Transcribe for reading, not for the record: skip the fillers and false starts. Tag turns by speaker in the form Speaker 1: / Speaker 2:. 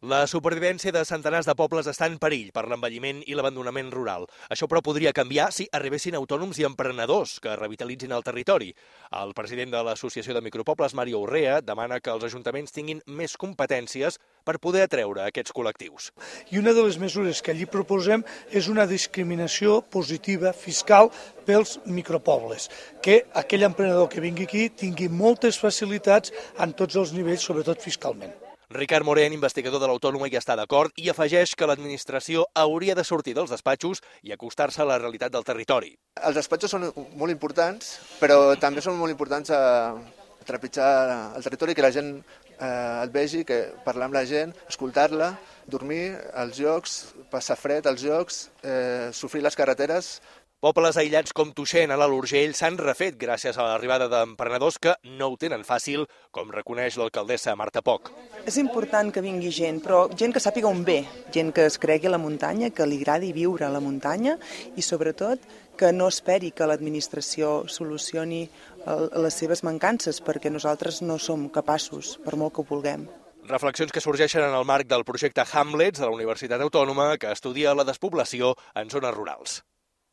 Speaker 1: La supervivència de centenars de pobles està en perill per l'envelliment i l'abandonament rural. Això, però, podria canviar si arribessin autònoms i emprenedors que revitalitzin el territori. El president de l'Associació de Micropobles, Mario Urrea, demana que els ajuntaments tinguin més competències per poder atreure aquests col·lectius.
Speaker 2: I una de les mesures que allí proposem és una discriminació positiva fiscal pels micropobles, que aquell emprenedor que vingui aquí tingui moltes facilitats en tots els nivells, sobretot fiscalment.
Speaker 1: Ricard Morén, investigador de l'Autònoma, hi està d'acord i afegeix que l'administració hauria de sortir dels despatxos i acostar-se a la realitat del territori.
Speaker 3: Els despatxos són molt importants, però també són molt importants a trepitjar el territori, que la gent el vegi, que parlar amb la gent, escoltar-la, dormir als llocs, passar fred als llocs, sofrir les carreteres.
Speaker 1: Pobles aïllats com Tuixén, a l'Alt Urgell, s'han refet gràcies a l'arribada d'emprenedors que no ho tenen fàcil, com reconeix l'alcaldessa Marta Poch.
Speaker 4: És important que vingui gent, però gent que sàpiga on ve, gent que es cregui a la muntanya, que li agradi viure a la muntanya i, sobretot, que no esperi que l'administració solucioni les seves mancances, perquè nosaltres no som capaços, per molt que ho vulguem.
Speaker 1: Reflexions que sorgeixen en el marc del projecte Hamlets de la Universitat Autònoma, que estudia la despoblació en zones rurals.